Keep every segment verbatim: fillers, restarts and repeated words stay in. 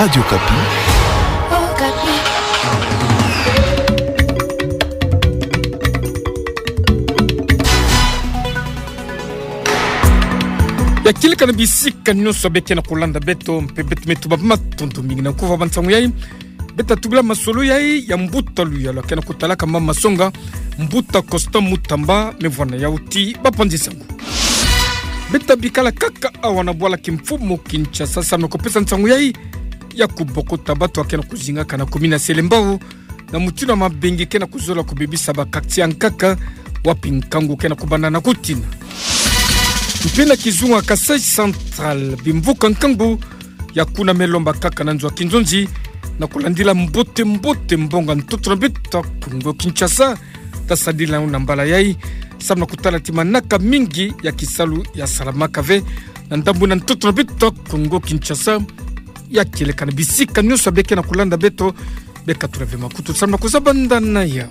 Radio Okapi. Ya kieleka na bisika nyonso beke na kulanda beto, mpe beto me tuba matondo mingi na nkuva ba nsangu yai. Beta tubila masolo yai ya mbuta luyalu ke na kutalaka mama masonga, mbuta Constant Mutamba, me vwanda yau ti bapanzi nsangu. Beta bikala kaka awa na bwala kimfumu Kinshasa, samu na kupesa nsangu yai ya kubokota bato ke na kuzingaka na kumina selembao, na mutindu ya mabengi ke na kuzola kubebisa ba quartier ya nkaka, wapi nkangu ke na kubanda na kutina. Mpe na kizunga Kasaï Central, bimvuka nkangu ya kuna me lomba kaka na nzo ya kinzonzi, na kulandila mbote-mbote mbongo ya ntoto na beto Kongo Kinshasa, ta sadila na mbala yai, samu na kutala ti manaka mingi ya kisalu ya salamaka ve na ndambu na ntoto na beto Kongo Kinshasa. Ya kieleka na bisika nyonso beke na kulanda beto, beka tula ve makutu samu na kuzabanda na yau.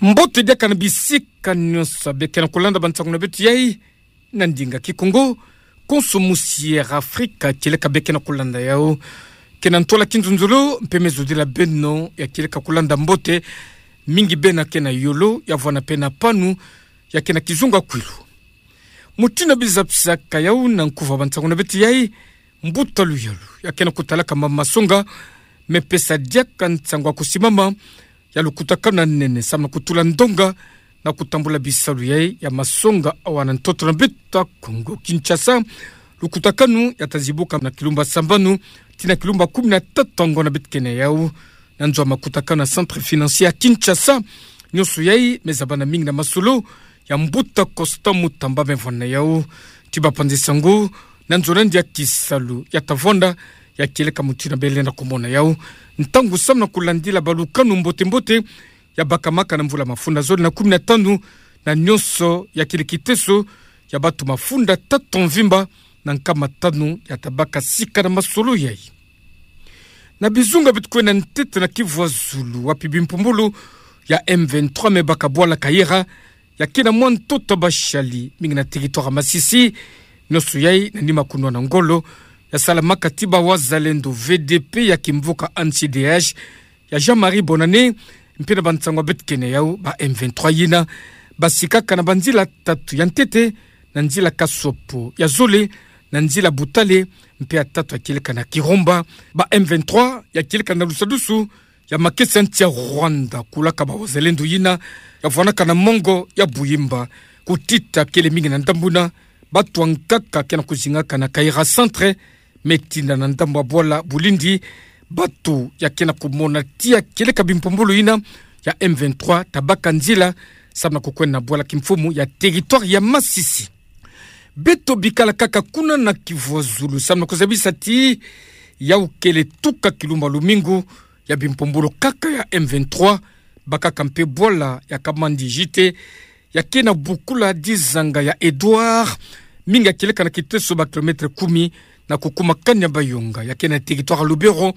Mbote diaka na bisika nyonso beke na kulanda ba nsangu na beto yai na ndinga Kikongo, konso musi Air Afrique kieleka beke na kulanda yau. Ke na ntola kinzonzolo, mpe me zodila beno ya kieleka kulanda mbote, mingi bena ke na yolo, ya vwanda mpe na panu, ya ke na kizunga kwilu. Mutindu ya bizabisaka yau na nkuva ba nsangu na beto yai, mbuta luyalu ya ke na kutalaka mama masonga, me pesa diaka nsangu ya kusimama ya lukutakanu ya nene samu na kutula ndonga na kutambula bisalu yai ya masonga awa na ntoto na beto Kongo Kinshasa. Lukutakanu ya ta zibuka na kilumbu sambanu tii na kilumbu kumi na tatu ya ngonda beto ke na yau, na nzo ya makutakanu ya Centre Financier ya Kinshasa. Nyonso yai me zabana mingi na masolo ya mbuta Constant Mutamba, me vwanda yau ti bapanzi nsangu na nzo na ndia kisalu ya ta vwanda, ya kieleka mutindu bele na kumona yau. Ntangu samu na kulandila balukanu mbote-mbote ya bakamaka na mvula mafunda zole na kumi na tanu, na nyonso ya kieleka kiteso ya bato mafunda tatu mvimba na nkama tanu ya ta baka sika na masolo yai. Na bizunga beto kwenda ntete na Kivu ya zulu, wapi bimpumbulu ya M vingt-trois me baka bwala Kayira, ya ke na mwa ntoto ya bashali mingi na territoire ya Masisi. Nyonso yai na nima kunwana ngolo ya salamaka ti ba Wazalendo V D P ya kimvuka N C D H ya Jean-Marie Bonane, mpe na ba nsangu beto ke na yau, ba M vingt-trois yina basikaka na banzila tatu. Ya ntete, na nzila Kasopo, ya zole na nzila Butale, mpe ya tatu ya kieleka na Kirumba. Ba M vingt-trois ya kieleka na lusadusu ya makesa nsi ya Rwanda, kulaka ba Wazalendo yina ya vwanaka na mongo ya Buimba. Kutita kele mingi na ndambu na bato ya nkaka ke na kuzingaka na Kayira Centre, me tina na ndambu ya bwala Bulindi, bato ya ke na kumona ti ya kieleka bimpumbulu yina ya M vingt-trois ta baka nzila samu na kukwenda na bwala kimfumu ya territoire ya Masisi. Beto bikala kaka kuna na Kivu ya zulu, samu na kuzabisa ti yau kele tuka kilumbu ya lumingu ya bimpumbulu kaka ya M vingt-trois bakaka mpe bwala ya Kamandi Gite, ya ke na bukula dizanga ya Edouard, mingi ya kieleka na kiteso ba kilomètre kumi na kukuma Kanya-Bayonga, ya ke na territoire ya Lubero.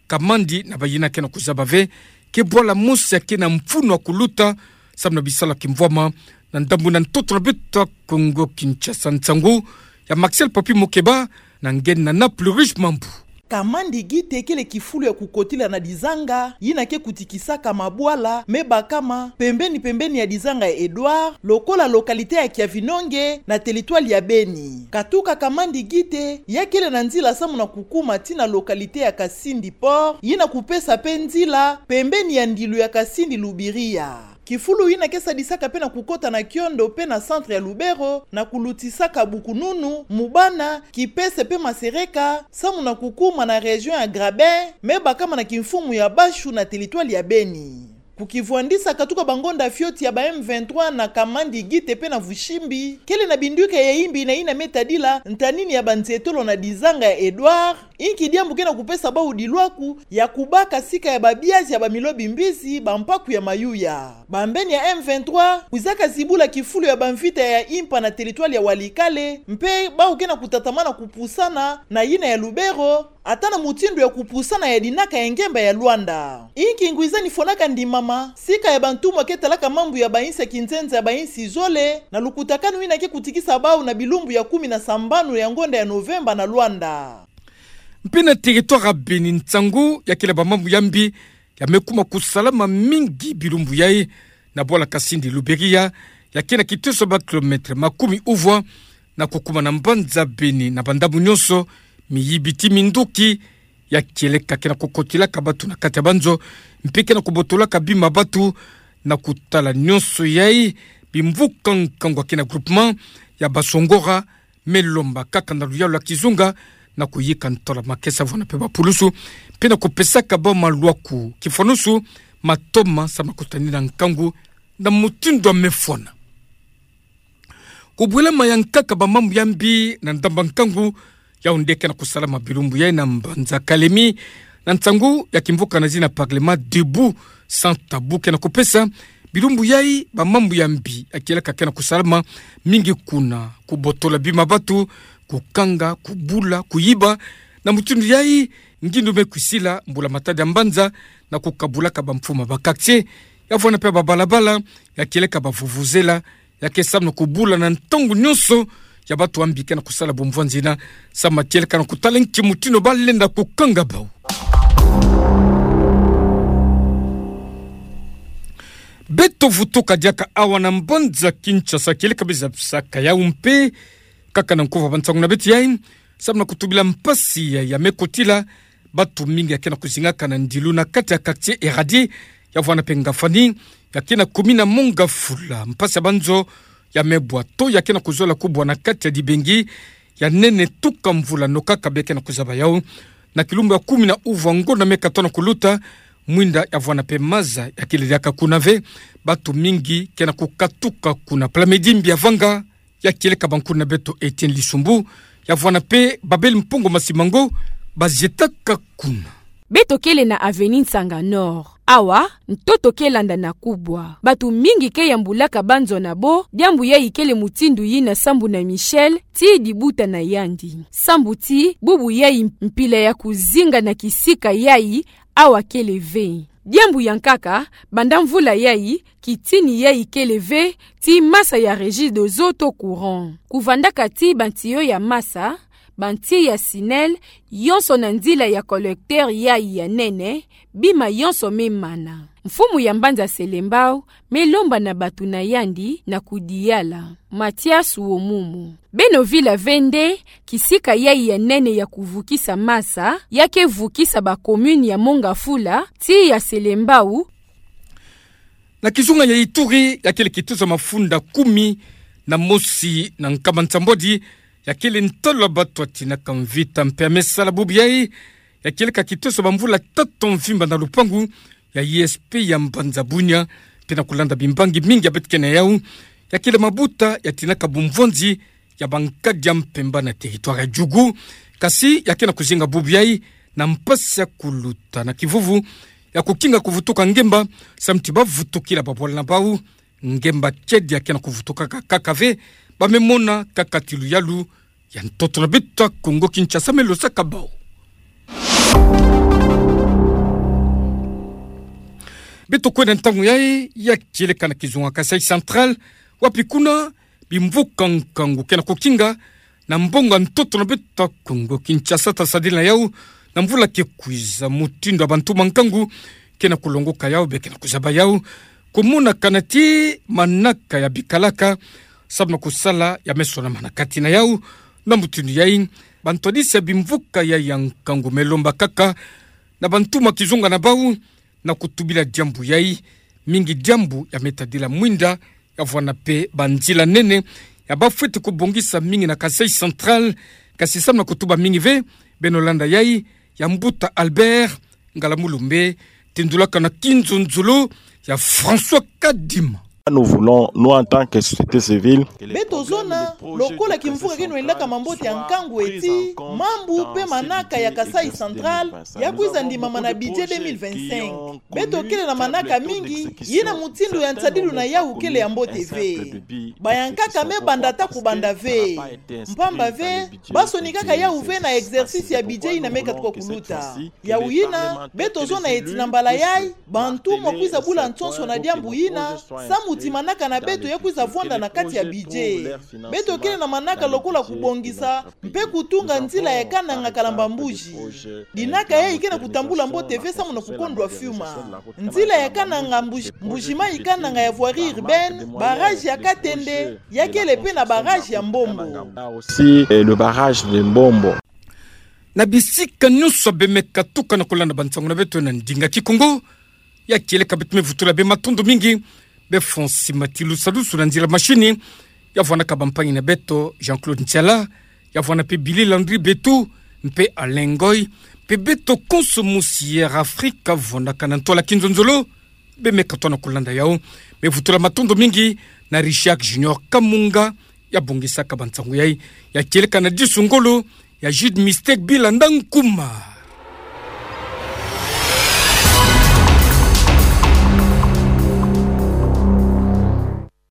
Kamandi na bayina ke na kuzaba ve ke bwala mosi ya ke na mfunu ya kuluta samu na bisalu ya kimvwama na ndambu na ntoto na beto Kongo Kinshasa. Nsangu ya Maxel Papi Mokeba, na nge na Naples Riche Mambu. Kamandi Gite kele kifulu ya kukotila na dizanga yina ke kutikisaka mabwala me bakama pembeni-pembeni ya dizanga ya Edouard, lokola localité ya Kiavinonge na territoire ya Beni. Katuka Kamandi Gite, ya kele na nzila samu na kukuma tii na localité ya Kasindi Port, yina kupesa mpe nzila pembeni ya ndilu ya Kasindi Lubiria. Kifulu yina ke sadisaka mpe na kukota na Kiondo mpe na centre ya Lubero, na kulutisaka bukununu, mubana, kipese mpe masereka, samu na kukuma na région ya Graben, me bakama na kimfumu ya Bashu na territoire ya Beni. Kukivwandisa katuka bangonda fioti ya ba M vingt-trois na Kamandi Gite mpe na Vushimbi, kele na binduka ya imbi na yina me tadila ntanini ya banzietolo na dizanga ya Edouard, Inki diambu ke na kupesa bau dilwaku ya kubaka sika ya babiazi ya bamilio bimbizi, bampaku ya mayuya. Bambeni ya M vingt-trois kwizaka zibula kifulu ya bamvita ya impa na territoire ya Walikale, mpe bau ke na kutatamana kupusana na yina ya Lubero, ata na mutindu ya kupusana ya dinaka ya ngemba ya Luanda. Inki ngwiza nifwanaka ndimama, sika ya bantumwa ke talaka mambu ya bainsi ya kinzenza ya bainsi zole, na lukutakanu yina ke kutikisa bau na bilumbu ya kumi na sambanu ya ngonda ya Novemba na Luanda. Mpe na territoire ya Beni, nsangu ya kele bamambu ya mbi ya me kuma kusalama mingi bilumbu yai na bwala Kasindi Luberiha, ya ke na kitoso ba kilomètre makumi uvwa, na kukuma na mbanza Beni na bandambu nyonso, miyibi ti minduki ya kieleka ke na kukotilaka batu na kati ya banzo, mpe ke na kubotolaka bima batu. Na kutala nyonso yai, bimvuka nkangu ya ke na groupement ya Basongora me lomba kaka na luyalu ya kizunga na kuyika ntola makesa vwena mpe bapulusu, mpe na kupesaka bau malwaku kifwanusu matoma samu na kutanina nkangu na mutindu ya me fwana. Kubwela mayankaka bamambu ya mbi na ndamba nkangu, yau nde ke na kusalama bilumbu yai na mbanza Kalemi, na nsangu ya kimvuka na zina Parlement Debout Sans Tabou ke na kupesa bilumbu yai bamambu ya mbi ya kieleka ke na kusalama mingi kuna: kubotola bima batu, kukanga, kubula, kuyiba, na mutindu yai ngindu me kwisila mbula-matadi ya mbanza, na kukabulaka bamfumu ya ba quartier, ya vwena mpe babalabala, ya kieleka bavuvuzela, ya ke samu na kubula na ntangu nyonso ya batu ya mbi ke na kusala bumvwanzina, samu na kieleka na kutala nki mutindu ba lenda kukanga bau. Beto vutuka diaka awa na mbanza Kinshasa, kieleka bie zabisaka yau mpe kaka na nkuva ba nsangu na beto yai, samu na kutubila mpasi ya, ya me kotila batu mingi ya ke na kuzingaka na ndilu na kati ya quartier Eradi, ya vwena mpe Ngafani, ya ke na commune ya Mont-Ngafula. Mpasi ya banzo ya me bwa to ya ke na kuzola kubwa na kati ya dibengi ya nene tuka mvula, no kaka bie ke na kuzaba yau. Na kilumbu ya kumi na uvwa ngonda me katona kuluta, mwinda ya vwena mpe maza ya kele diaka kuna ve, batu mingi ke na kukatuka kuna. Plamedi Mbiavanga ya kieleka ba nkuna na beto Etienne Lisumbu, ya vwena mpe Babel Mpungu Masimango, bazietaka kuna. Beto kele na avenue Nsanga Nord. Awa, ntoto ke landa na kubwa. Batu mingi ke yambulaka banzo na bo, diambu yai kele mutindu yina sambu na Michel, ti dibuta na yandi. Sambu ti bubu yai mpila ya kuzinga na kisika yai awa kele ve. Diambu ya nkaka, banda mvula yai, kitini yai kele ve ti masa ya Regideso to courant. Kuvandaka ti bantiyo ya masa, banti ya SNEL, yonso na nzila ya collecteur yai ya nene, bima yonso me mana. Mfumu ya mbanza Selembao me lomba na batu na yandi na kudiyala. Mathias Womumu. Beno vila ve nde kisika yai ya nene ya kuvukisa masa, ya ke vukisa ba commune ya Mont-Ngafula ti ya Selembao. Na kizunga ya Ituri, ya kele kituza mafunda kumi na mosi na nkama nsambwadi, ya kele ntalu ya batu ya tinaka mvita mpe ya me sala bubu yai, ya kieleka kituza bamvula tatu mvimba na lupangu ya I S P ya mbanza Bunia, mpe na kulanda bimbangi mingi ya beto ke na yau, ya kele mabuta ya tinaka bumvwanzi ya bankadi ya mpemba na territoire ya Djugu, kasi ya ke na kuzinga bubu yai na mpasi ya kuluta na kivuvu, ya kukinga kuvutuka ngemba, samu ti ba vutukila babwala na bau, ngemba tiedi ya ke na kuvutukaka kaka ve, ba me mona kaka ti luyalu ya ntoto na beto ya Kongo Kinshasa me losaka bau. Beto kwenda ntangu yai, ya kieleka na kizunga Kasaï Central, wapi kuna bimvuka nkangu ke na kukinga na mbongo ya ntoto na beto ya Kongo Kinshasa, ta sadila na yau na mvula ke kwiza, mutindu ya bantu ba nkangu ke na kulongoka yau, be ke na kuzaba yau, kumonakana ti manaka ya bikalaka, samu na kusala ya me sonama na kati na yau. Na mutindu yai, bantwadisi ya bimvuka yai ya nkangu me lomba kaka na bantu ma kizunga na bau na kutubila diambu yai, mingi diambu ya me tadila mwinda, ya vwanda mpe banzila nene ya ba fweti kubongisa mingi na Kasaï Central, kasi samu na kutuba mingi ve, beno landa yai ya mbuta Albert Ngalamulumbe, tindulaka na kinzonzolo ya François Kadima. Nous voulons, nous, en tant que société civile, beto zona, lokola kimvuka keno lilaka mambote ya nkangu eti, mambu pe manaka ya Kasaï Central ya kwiza ndimama na budget deux mille vingt-cinq. Beto kele na manaka mingi, yina mutindu ya nsadilu na yawu kele ya mbote ve. Bayankaka me banda ata kubanda ve. Mpamba ve, basonikaka yawu ve na exercice ya budget yina me katuka kuluta. Yawu yina, beto zona eti na mbala yayi, bantu mwa kwiza bula nsonso na diambu yina, samu ti manaka na beto ya kwiza vwanda na kati ya budget. Beto kele na manaka lokola kubongisa, mpe kutunga nzila ya kananga Kalamba-Mbuji. Dinaka yayi ke na kutambula mbote ve samu na kukondwa fiuma. Nzila ya kananga Mbuji, Mbuji-Mayi kananga ya voirie urbaine, barrage ya Katende, ya kele pe na barrage ya Mbombo. Aussi, euh, le barrage de Mbombo. Na bisika nyonso bemeka tuka na kulanda bansangu na beto na ndinga Kikongo, ya kieleka beto me vutula bê matondo mingi, bê Fonsi Matilu Salusu na nzila mashini, ya vwanaka bampangi na beto Jean-Claude Ntiala, ya vwana mpe Billy Landry Betu, mpe Alain Ngoy, mpe beto konso musi Air Afrika vwanaka na ntwala kinzonzolo, bemeka tona kulanda yawu. Me vutula matondo mingi na Richard Junior Kamunga, ya bongisaka bansangu yayi, ya kieleka na disu ngolo ya Jude Mistake Bilanda Nkuma.